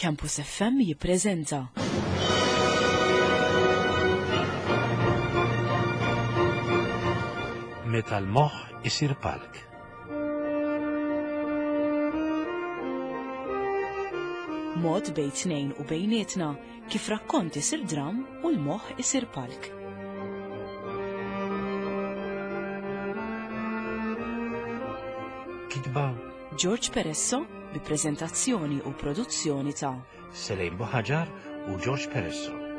Campus FM jippreżenta. Meta l-moħħ isir palk. Mod bejn tnejn u bejnietna kif rakkont isir dram u l-moħħ isir palk. Kitba George Peresso bi preżentazzjoni u produzzjoni ta' Selejn Buħaġar u George Peresso.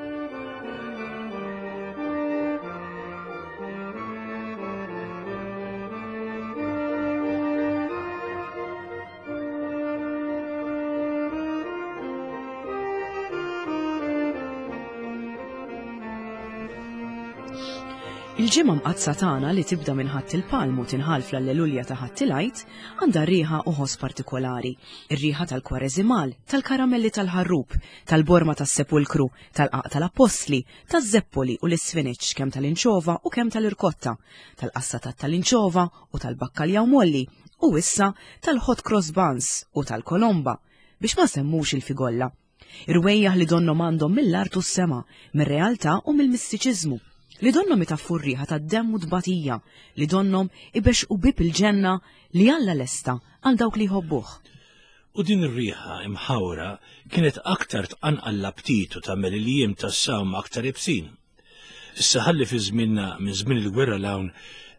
Il-ġimgħa mqaddsa tagħna li tibda minn Ħadd il-Palm u tinħall fl-Allelulja ta' Ħadd il-Għid għandha riħa u ħoss partikolari, ir-riħa tal-kwareżimal, tal-karamelli tal-ħarrub, tal-borma tas-sepulkru, tal-qaq tal-appostli, taż-żeppoli u l-isfiniċ kemm tal-inċova u kemm tal-irkotta, tal-qassatat tal-inċova u tal-bakkaljaw molli, u issa tal-hot cross buns u tal-kolomba, biex ma semmux il-figolla. Irwejjaħ li donnhom għandhom mill-art u s-sema, mir-realtà u mill-mistiċiżmu, li donnhom itaffu r-riħa tad-demm u tbatija, li donnhom ibexxqu bieb il-ġenna li Alla lesta għal dawk li jħobbuh. U din ir-riħa imħawra kienet aktar tqanqal l-aptit u tagħmel il-jiem tas-sawm aktar ibsin. Issa ħalli fi żmienna minn żmien il-gwerra 'l hawn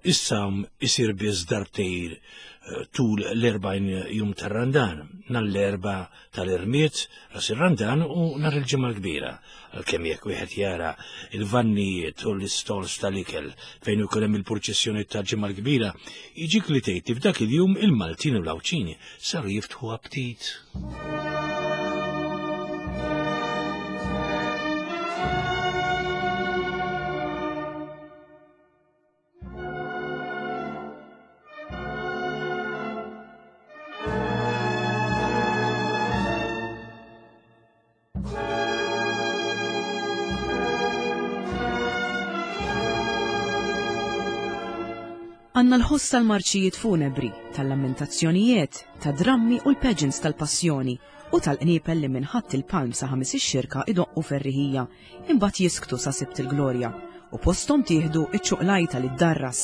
is-sawm isir biss darbtejn eh, tul l-40 jum tar-Randan, nhar l-Erbgħa tal-Irmied, ras ir-Randan u nhar il-Ġimgħa l-Kbira. Għalkemm jekk wieħed jara il-vannijiet u l-istols tal-ikel fejn ikun hemm il-purċissjoni tal-Ġimgħa l-Kbira, jiġik li tgħid li f'dak il-jum il-Maltin u l-Għawdxin saru jiftħu aptit. Għandna l-ħoss tal-marċijiet funebri, tal-lamentazzjonijiet, ta' drammi u l-pageants tal-passjoni u tal-qniepel li minn Ħadd il-Palm sa Ħamis ix-Xirka idoqqu ferriħija, imbagħad jisktu sa Sibt il-Glorja u posthom tieħdu ċ-ċuqlajta li ddarras.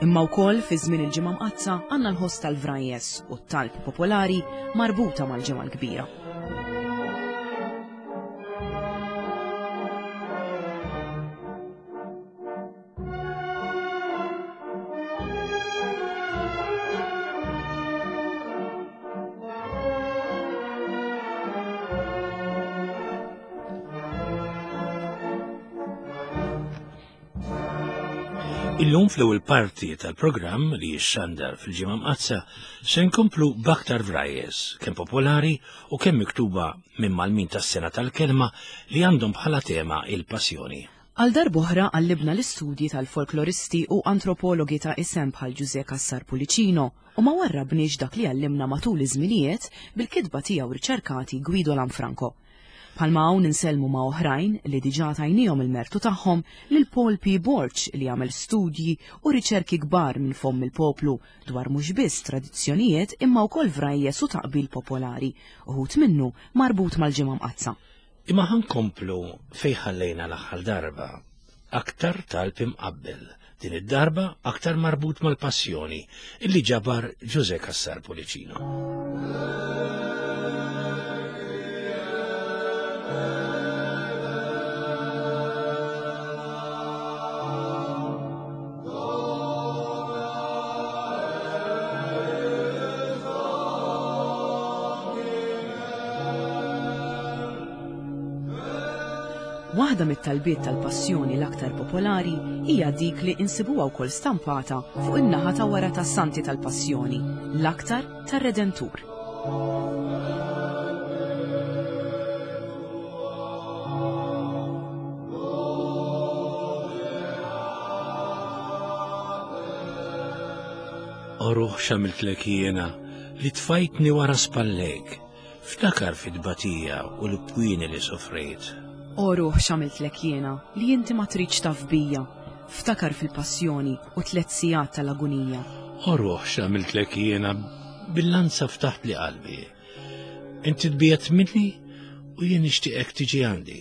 Imma wkoll fi żmien il-Ġimgħa Mqaddsa għandna l-ħoss tal-vrajjes u t-talb popolari marbuta mal-Ġimgħa l-Kbira. Illum fl-ewwel parti tal-programm li jixxandar fil-Ġimgħa Mqaddsa se nkomplu b'aktar vrajjes, kemm popolari u kemm miktuba minn Malmin tas-sena tal-kelma li għandhom bħala tema il-passjoni. Għal darb'oħra qallibna l-istudji tal-folkloristi u antropologi ta' isem bħal Ġużè Cassar Pullicino u ma warrabniex dak li għallimna matul iż-żminijiet bil-kitba tiegħu riċerkati Guido Lanfranco. Bħalma hawn insellmu ma' oħrajn li diġà tajniehom il-mertu tagħhom lil Paul P. Borg li għamel studji u riċerki kbar minn fomm il-poplu dwar mhux biss tradizzjonijiet imma wkoll vrajjes u taqbil popolari, uħud minnu marbut mal-Ġimgħa Mqaddsa. Imma ħa nkomplu fejn ħallejna l-aħħar darba. Aktar talb imqabbel, din id-darba aktar marbut mal-passjoni, illi ġabar Ġużè Cassar Pullicino. Waħda mit-talbiet tal-passjoni l-aktar popolari hija dik li insibuha wkoll stampata fuq in-naħa ta' wara tas-Santi tal-Passjoni, l-aktar tar-Redentur. O ruħ x'għamiltlek jiena li tfajtni wara spallejk, ftakar fit-tbatija u l-pwieni li sofrejt. O ruħ x'għamiltlek jiena li inti ma tridx taf bija, ftakar fil-passjoni u tliet sigħat tal-agunija. O ruħ x'għamiltlek jiena bil-lanza ftaħtli qalbi. Inti tbiegħedt minni? U jien nixtieqek tiġi għandi.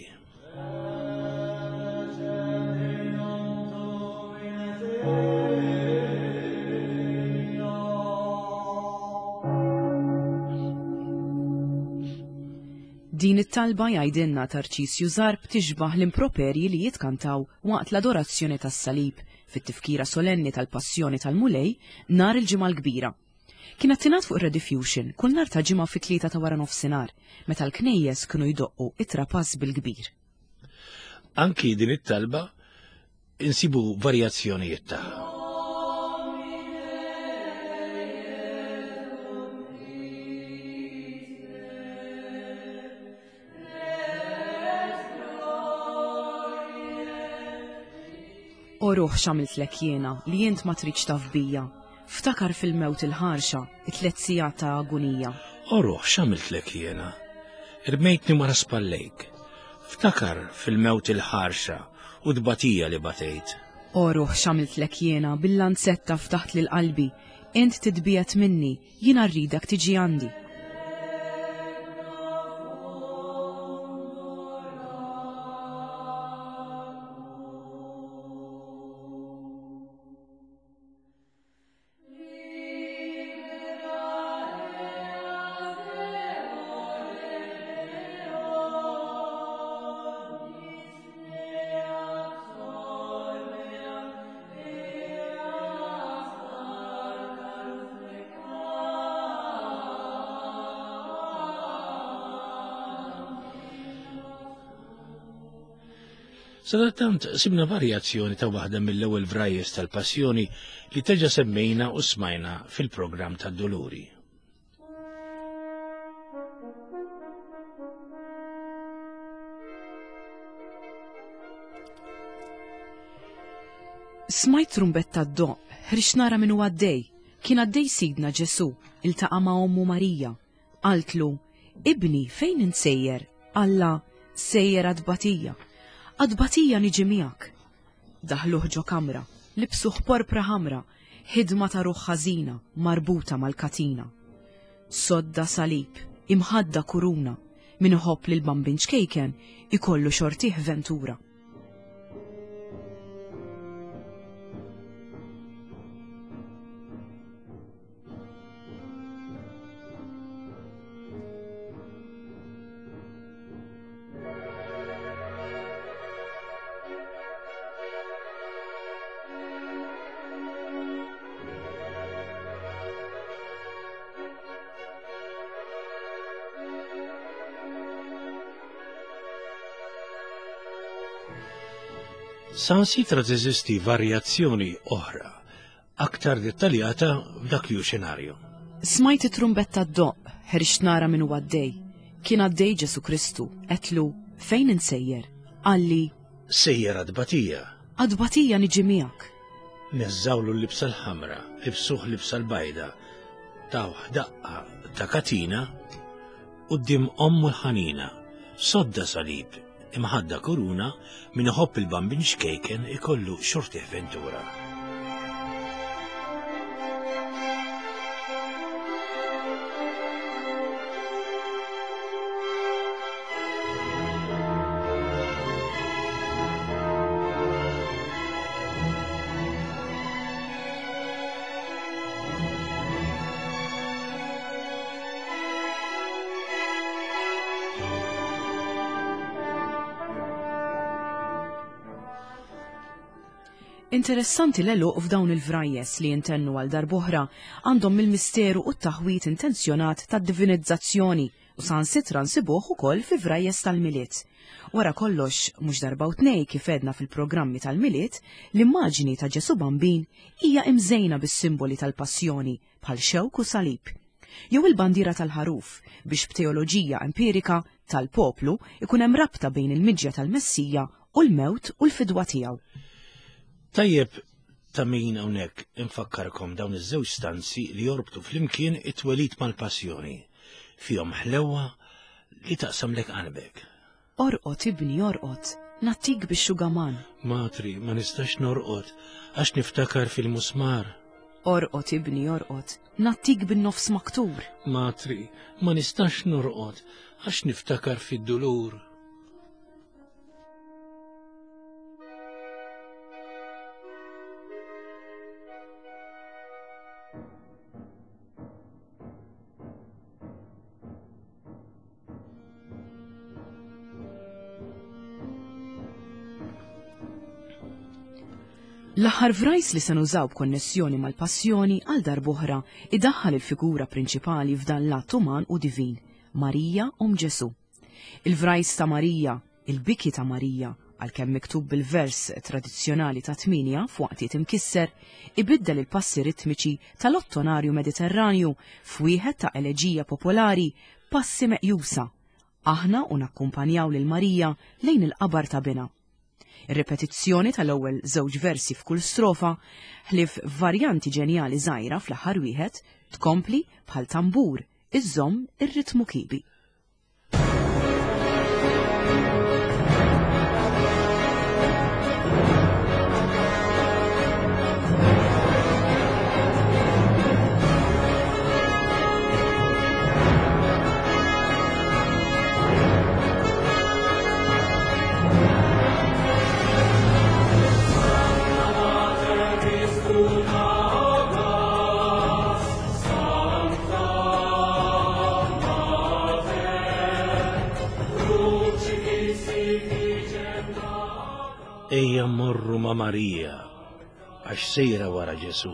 Din it-talba jgħidilna Tarċisju Zarb tixbah l-improperji li jitkantaw waqt l-adorazzjoni tas-salib fit-tifkira solenni tal-Passjoni tal-Mulej nhar il-Ġimgħa l-Kbira. Kienet tingħad fuq ir-Rediffusion kull nhar ta' Ġimgħa fit-tlieta ta' wara nofsinhar, meta l-knejjes kienu jdoqqu it-trapass bil-kbir. Anki din it-talba insibu varjazzjonijiet tagħha. O ruħ x'għamiltlek jiena li int ma tridx taf bija. Ftakar fil-mewt il-ħarxa, it-tlet sigħat ta' agunija. O ruħ x'għamiltlek jiena? Irmejtni wara spallejk. Ftakar fil-mewt il-ħarxa u tbatija li batejt. O ruħ x'għamiltlek jiena bil-lanzetta ftaħt lil qalbi, int titbiegħed minni, Jiena rridek tiġi għandi. Sadattant sibna varjazzjoni ta' waħda mill-ewwel vrajjes tal-Passjoni li teġa semmejna u smajna fil-programm tad-Duluri. Smajt trumbetta ddoqq, ħriġt nara min hu għaddej. Kien għaddej Sidna Ġesù, iltaqa' ma' ommu Marija. Qaltlu, Ibni, fejn int sejjer? Qallha, Sejjer għat-tbatija. Għat-tbatija niġi miegħek. Daħluh ġo kamra, libsuh porpra ħamra, ħidma ta' ruħ ħażina marbuta mal-katina. Sodda salib, imħadda kuruna, min iħobb lil bambin ċkejken ikollu xortih ventura. Sansitra teżisti varjazzjoni oħra aktar dettaljata f'dak li hu xenarju. Smajt it-trumbetta ddoqq, ħriġt nara min hu għaddej. Kien għaddej Ġesù Kristu, għedtlu, fejn int sejjer? Qalli, Sejjer għat-tbatija. Għat-tbatija niġi miegħek. Neżżgħulu l-libsa l-ħamra, libsuh libsa l-bajda, tawh daqqa ta' katina, quddiem ommu l-ħanina, sodda salib, Imħadda kuruna, min iħobb il-bambin xkejken ikollu xortih ventura. Interessanti l-għeluq f'dawn il-vrajjes li jintennu għal darb'oħra għandhom mill-misteru u t-taħwid intenzjonat tad-divinizzazzjoni u saħansitra nsibuh ukoll fi vrajjes tal-Milied. Wara kollox, mhux darba u tnej kif għedna fil-programmi tal-Milied, l-immaġni ta' Ġesù Bambin hija imżejna bis-simboli tal-passjoni bħal xewk u salib. Jew il-bandiera tal-ħaruf biex b'teoloġija empirika tal-poplu ikun hemm rabta bejn il-miġja tal-Messija u l-mewt u l-fidwa tiegħu. Tajjeb ta' min hawnhekk infakkarkom dawn iż-żewġ stanzi li jorbtu flimkien it-twelid mal-passjoni. Fihom ħlewwa li taqsamlek qalbek. Orqod ibni orqod, nagħtik bix-xugaman. Matri, ma nistax norqod għax niftakar fil-musmar. Orqod ibni orqod, nattik bin-nofs maktur. Matri, ma nistax norqod għax niftakar fid-dulur. L-aħħar vrajs li se nużaw b'konnessjoni mal-passjoni għal darb'oħra idaħħal il-figura prinċipali f'dan l-att uman u divin, Marija Omm Ġesù. Il-vrajs ta' Marija, il-biki ta' Marija, għalkemm miktub bil-vers tradizzjonali ta' tmienja f'waqtiet imkisser, ibiddel il-passi ritmiċi tal-ottonarju Mediterranju f'wieħed ta' eleġija popolari passi meqjusa, aħna u nakkumpanjaw lil Marija lejn il-qabar ta' binha. Ir-ripetizzjoni tal-ewwel żewġ versi f'kull strofa, ħlief f'varjanti ġenjali żgħira fl-aħħar wieħed, tkompli bħal tambur iżżomm ir-ritmu kiebi. Ejja mmorru ma' Marija għax sejra wara Ġesù.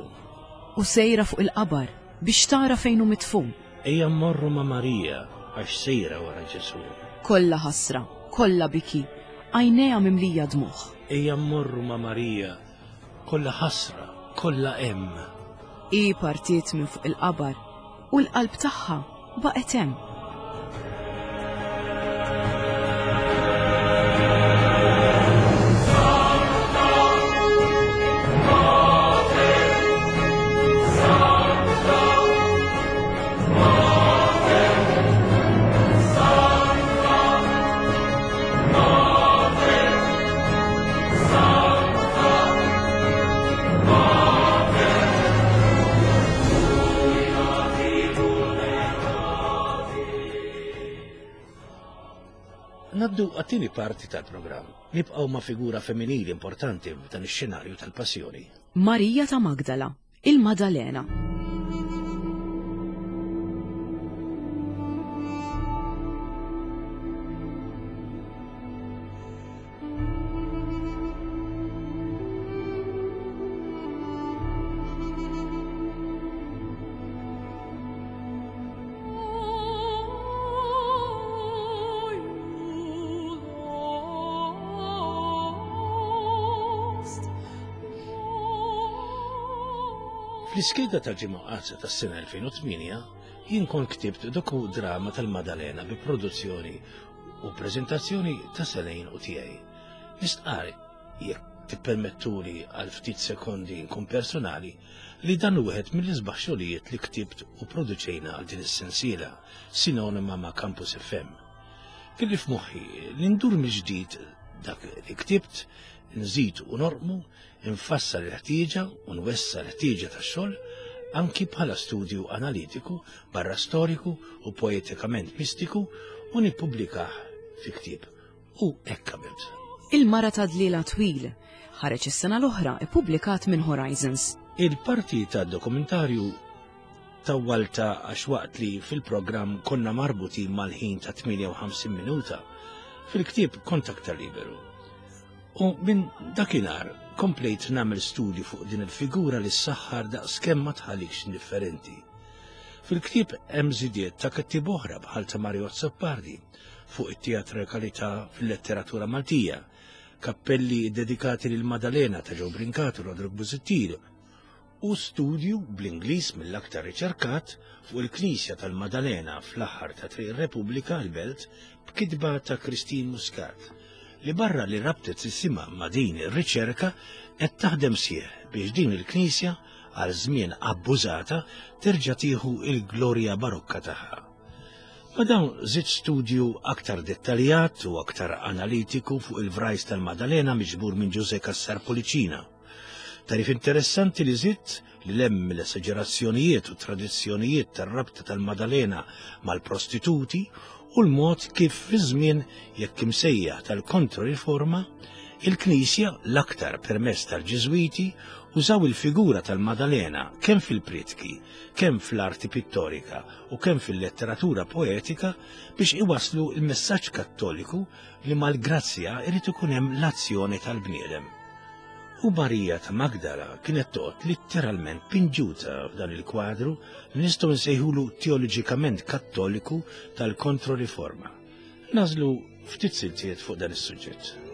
U sejra fuq il-qabar biex tara fejn hu midfun. Ejja mmorru ma' Marija għax sejra wara Ġesù. Kollha ħasra, kollha biki, għajnejha mimlija dmugħ. Ejja mmorru ma' Marija, kollha ħasra, kollha hemm. Hi partiet minn fuq il-qabar u l-qalb tagħha baqgħet hemm. Naddu għat-tieni parti tal-programm. Nibqgħu ma' figura femminili importanti f'dan ix-xenarju tal-passjoni. Marija ta' Magdala, il-Madalena. Fl-iskeda tal-Ġimgħa Mqaddsa tas-sena 2008 jien kont ktibt doku-drama tal-Madalena bi produzzjoni u preżentazzjoni ta' Selejn u tiegħi. Nistqarr, jekk tippermettuli għal ftit sekondi nkun personali, li dan hu wieħed mill-isbaħ xogħlijiet li ktibt u produċejna għal din is-sensiela, sinonima ma' Campus FM. Kelli f'moħħi li ndur mill-ġdid dak li ktibt, nżid u norqmu, infassal il-ħtieġa u nwessa' l-ħtieġa tax-xogħol anki bħala studju analitiku, barra storiku u poetikament mistiku u nippubblikah fi ktieb. U hekk għamilt. Il-Mara ta' Dliela Twil ħareġ is-sena l-oħra ippubblikat minn Horizons. Il-parti tad-dokumentarju tawwaltha għax waqt li fil-programm konna marbutin mal-ħin ta' 58 minuta, fil-ktieb kont aktar liberu. U minn dakinhar komplejt nagħmel studju fuq din il-figura li ssaħħar daqskemm ma tħallikx indifferenti. Fil-ktieb hemm żidiet ta' kittieb oħra bħal ta' Mario Azzopardi fuq it-teatrikalità fil-letteratura Maltija, kappelli ddedikati lil Madalena ta' Joe Brincat u Roderick Busuttil, u studju bl-Ingliż mill-aktar riċerkat fuq il-Knisja tal-Madalena fl-aħħar ta' Triq ir-Repubblika l-Belt b'kitba ta' Christine Muscat li barra li rabtet isimha ma' din ir-riċerka qed taħdem sieħ biex din il-knisja għal żmien abbużata terġa' tieħu il-glorja barokka tagħha. Ma' dawn żidt studju aktar dettaljat u aktar analitiku fuq il-vrajs tal-Madalena miġbur minn Ġużè Cassar Pullicina. Tarif interessanti li żidt li lemm l-esaġerazzjonijiet u tradizzjonijiet tar-rabta tal-Madalena mal-prostituti u l-mod kif fi żmien jekk imsejjaħ tal-Kontroriforma, il-Knisja l-aktar permezz tal-Ġiżwiti użaw il-figura tal-Madalena kemm fil-prietki, kemm fl-arti pittorika u kemm fil-letteratura poetika biex iwasslu l-messaġġ Kattoliku li mal-grazzja irid ikun hemm l-azzjoni tal-bniedem. U Marija ta' Magdala kienet toqgħod litteralment pinġuta f'dan il-kwadru li nistgħu nsejħulu teoloġikament Kattoliku tal-Kontroriforma. Nażlu ftit siltiet fuq dan is-suġġett.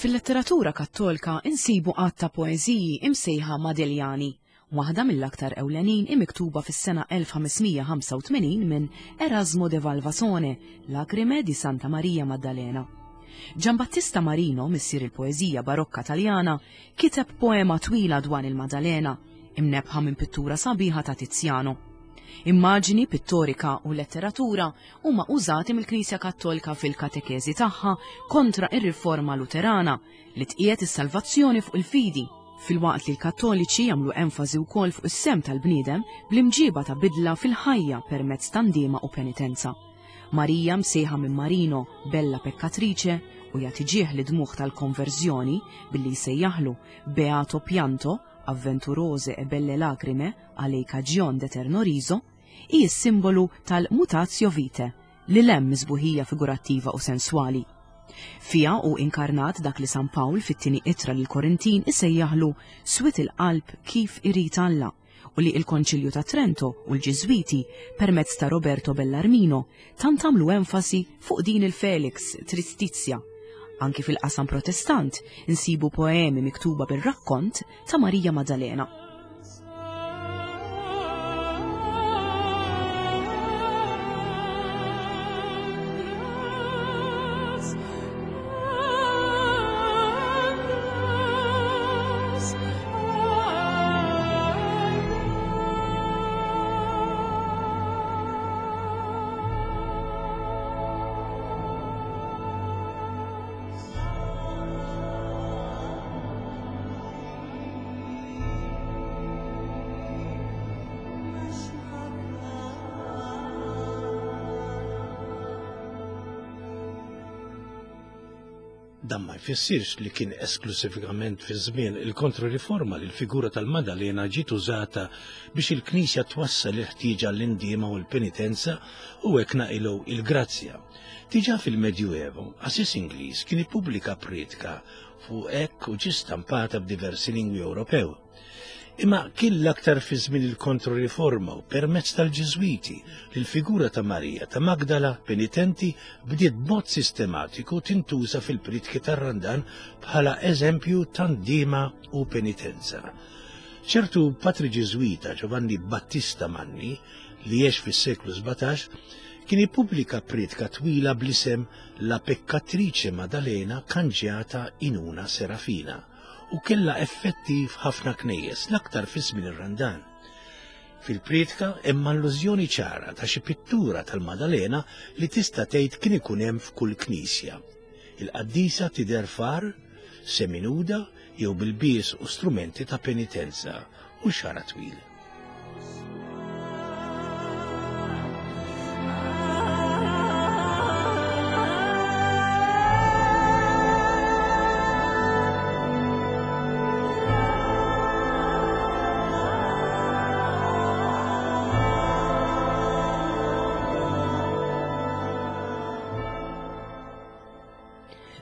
Fil-letteratura Kattolka insibu għadd ta' poeżiji imsejħa Madeljani, waħda mill-aktar ewlenin hi miktuba fis-sena 1585 minn Erasmo de Valvasone, Lacrime di Santa Maria Maddalena. Giambattista Marino, missier il-poeżija barokka Taljana, kiteb poema twila dwar il-Maddalena, imnebbħa minn pittura sabiħa ta' Tiziano. Immaġini pittorika u letteratura huma użati mill-Knisja Kattolika fil-katekeżi tagħha kontra r-Riforma Luterana li tqiegħed is-salvazzjoni fuq il-fidi, filwaqt li l-Kattoliċi jagħmlu enfasi wkoll fuq is-sehem tal-bniedem bl-imġiba ta' bidla fil-ħajja permezz ta' ndiema u penitenza. Marija msejħa minn Marino Bella Peccatrice u jagħti ġieħ lid-dmugħ tal-konverżjoni billi jsejjaħlu Beato Pianto, Avventurose e belle lacrime, a lei cagion d'eterno riso, hi s-simbolu tal-mutatio vitae, lil hemm mis-sbuħija figurattiva u senswali. Fiha hu inkarnat dak li San Pawl fit-tieni ittra lill-Korintin isejjaħlu swied il-qalb kif irid Alla u li l-Konċilju ta' Trento u l-Ġiżwiti permezz ta' Roberto Bellarmino tant għamlu enfasi fuq din il-felix tristizia. Anki fil-qasam Protestant insibu poemi miktuba bir-rakkont ta' Marija Maddalena. Dan ma jfissirx li kien esklussivament fi żmien il-Kontroriforma li l-figura tal-Madalena ġiet użata biex il-Knisja twassal il-ħtieġa l-indiema u l-penitenza u hekk naqilgħu il-grazzja. Diġà fil-Medjuevo, qassis Ingliż kien ippubblika prietka fuq hekk u ġie stampata b'diversi lingwi Ewropew. Imma kien l-aktar fi żmien il-Kontroriforma u permezz tal-Ġiżwiti li l-figura ta' Marija ta' Magdala penitenti bdiet b'mod sistematiku tintuża fil-pritki tar-Randan bħala eżempju ta' ndiema u penitenza. Ċertu patri Ġiżwita Giovanni Battista Manni, li għex fis-seklu 17, kien ippubblika pritka twila bl-isem La Peccatrice Maddalena cangiata in una Serafina u kellha effetti f'ħafna knejjes, l-aktar fi żmien ir-Randan. Fil-prietka hemm allużjoni ċara ta' xi pittura tal-Madalena li tista' tgħid kien ikun hemm f'kull knisja. Il-qaddisa tidher far, seminuda jew bil-bies u strumenti ta' penitenza u xara twil.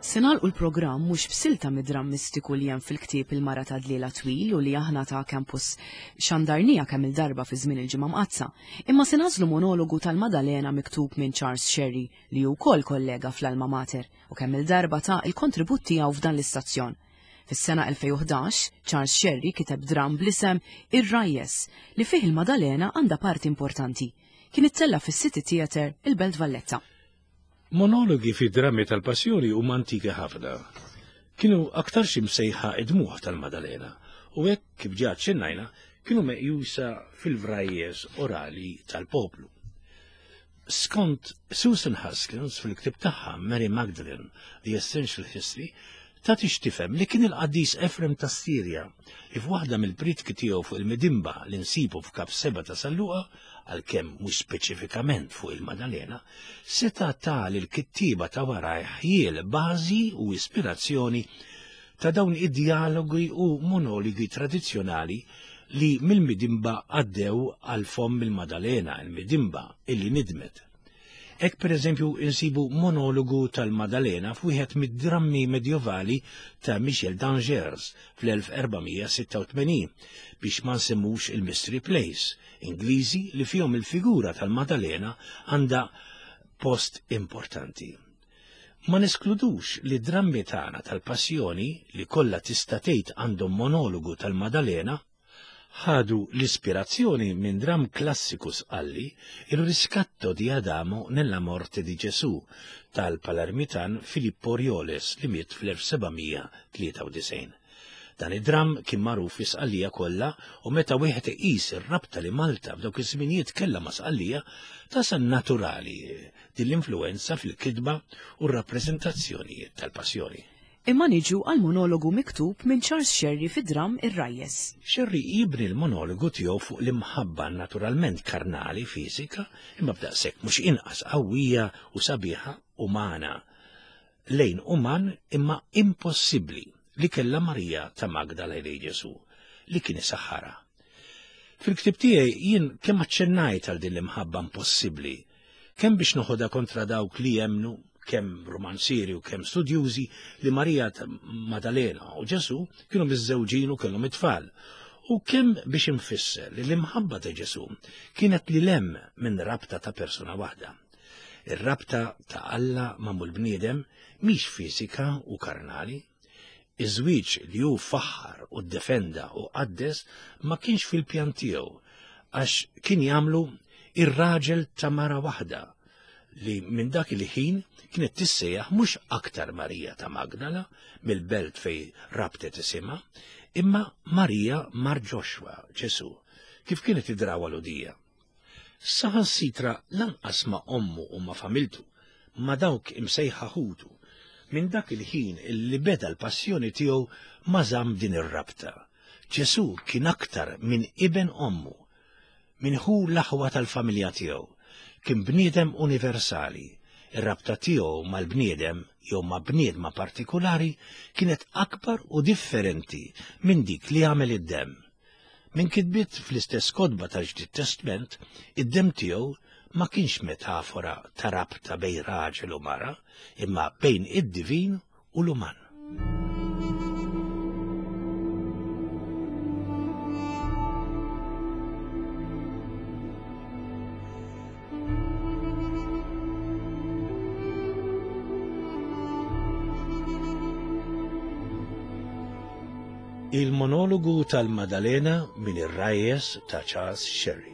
Se nagħlqu l-programm mhux b'silta mid-dramm mistiku li hemm fil-ktieb Il-Mara ta' Dliela Twil u li aħna ta' Campus xandarnija kemm il-darba fi żmien il-Ġimgħa Mqaddsa, imma se nagħżlu monologu tal-Madalena miktub minn Charles Scerri li hu wkoll kollega fl-Alma Mater u kemm il-darba ta l-kontribut tiegħu f'dan l-istazzjon. Fis-sena 2011, Charles Scerri kiteb dramm bl-isem Ir-Rajjes li fih il-Madalena għandha parti importanti. Kien ittella' fis-City Theatre il-Belt Valletta. Monologi fi drammi tal-passjoni huma antiki ħafna. Kienu aktarx imsejħa id-dmugħ tal-Madalena u hekk kif ġa aċċennajna kienu meqjusa fil-vrajjes orali tal-poplu. Skont Susan Haskins fil-ktieb tagħha Mary Magdalene, The Essential History, tagħti x'tifhem li kien il-qaddis Efrem ta' Sirja li f'waħda mill-prietki tiegħu fuq il-Midimba li nsibu f'Kap 7 ta' San Luqa, għalkemm mhux speċifikament fuq il-Madalena, seta' ta lill-kittieba ta' warajh ħjiel bażi u ispirazzjoni ta' dawn id-djalogi u monologi tradizzjonali li mill-Midimba għaddew għal fomm il-Madalena, il-Midimba illi nidmet. Hekk pereżempju insibu monologu tal-Madalena f'wieħed mid-drammi medjovali ta' Michel d'Angers fl-1486 biex ma nsemmux il-Mystery Plays Ingliżi li fihom il-figura tal-Madalena għandha post importanti. Ma neskludux li drammi tagħna tal-Passjoni li kollha tista' tgħid għandhom monologu tal-Madalena ħadu l-ispirazzjoni minn dramm klassiku Sqalli, Il riscatto di Adamo nella morte di Gesù, tal-Palermitan Filippo Rioles li miet fl-1793. Dan id-dramm kien magħruf fi Sqallija kollha u meta wieħed iqis ir-rabta li Malta f'dawk iż-żminijiet kellha ma' Sqallija, tasal naturali din l-influwenza fil-kitba u r-rappreżentazzjonijiet tal-Passjoni. Imma niġu għall-monologu miktub minn Charles Scerri fid-dramm Ir-Rajjes. Scerri jibni l-monologu tiegħu fuq l-imħabba naturalment karnali, fiżika, imma b'daqshekk mhux inqas qawwija u sabiħa umana, lejn uman imma impossibbli li kellha Marija ta' Magdala lejn Ġesù, li kien isaħħarha. Fil-ktieb tiegħi jien kemm aċċennajt għal din l-imħabba impossibbli kemm biex noħodha kontra dawk li jemmnu, kemm rumanzieri u kemm studjużi, li Marija Madalena u Ġesù kienu miżżewġin u kellhom it-tfal, u kemm biex infisser li l-imħabba ta' Ġesù kienet lil hemm minn rabta ta' persuna waħda. Ir-rabta ta' Alla ma' bniedem mhix fiżika u karnali. Iż-żwieġ li hu faħħar u ddefenda u qaddes ma kienx fil-pjan tiegħu għax kien jagħmlu ir-raġel ta' mara waħda li minn dak il-ħin kienet tissejjaħ mhux aktar Marija ta' Magdala mill-belt fej rabtet isimha, imma Marija Mar Ġoxwa, Ġesu, kif kienet id-drawa l-udija. Saħansitra lanqas ma' ommu u ma' familtu, ma' dawk imsejħa ħutu, minn dak il-ħin li beda l-passjoni tiegħu ma żamm din ir-rabta. Ġesù kien aktar minn iben ommu, minn ħu l-aħwa tal-familja tiegħu. Kien bniedem universali. Ir-rabta tiegħu mal-bniedem jew ma' bniedma partikulari kienet akbar u differenti minn dik li għamel id-demm. Minn kitbiet fl-istess kotba tal-Ġdid Testment, id-demm tiegħu ma kienx metafora ta' rabta bejn raġel u mara, imma bejn id-divin u l-uman. Il-monologu tal-Madalena minn ir-Rajjes ta' Charles Sherry.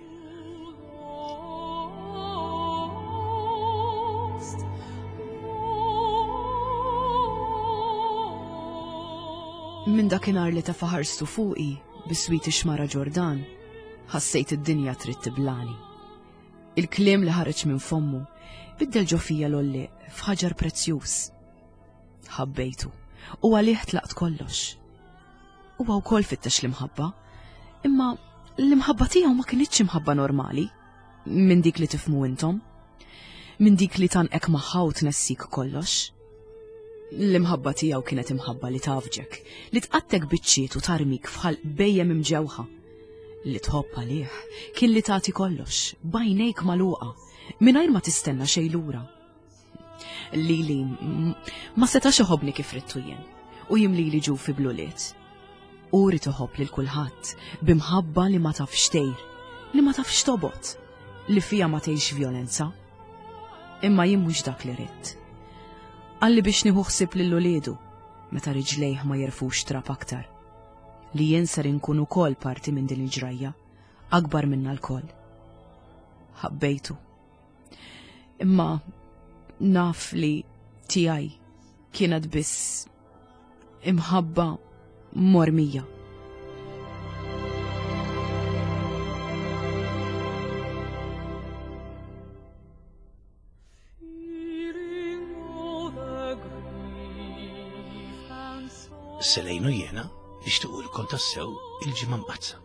Minn dakinhar li tefa' ħarstu fuqi biswit ix-xmara Ġordan, ħassejt id-dinja trid tiblani. Il-kliem li ħareġ minn fommu biddel ġo fija l-għollieq f'ħaġar prezzjuż. Ħabbejtu u għalih tlaqt kollox. Huwa wkoll fittex l-imħabba, imma l-imħabba tiegħu ma kinitx imħabba normali minn dik li tifmu intom, minn dik li tanqek magħha u tnessik kollox. L-imħabba tiegħu kienet imħabba li tafġek, li tqattek biċċiet u tarmik fħal bejjem imġewħa. Li tħobb għalih kien li tagħti kollox, bajnejk magħluqa, mingħajr ma tistenna xejn lura. Lili ma setax iħobbni kif ridtu jien u jimlili ġufi bl-ulied. Hu rid iħobb lil kulħadd b'imħabba li ma tafx tgħir, li ma tafx tobgħod, li fiha ma tgħix vjolenza. Imma jien mhux dak li ridt. Qalli biex nieħu ħsieb lil uliedu meta riġlejh ma jerfux trab aktar. Li jien ser inkun ukoll parti minn din il-ġrajja, akbar minna lkoll. Ħabbejtu. Imma naf li tiegħi kienet biss imħabba mormija. Selejnu jiena nixtiequlkom tassew il-ġimgħa mqaddsa.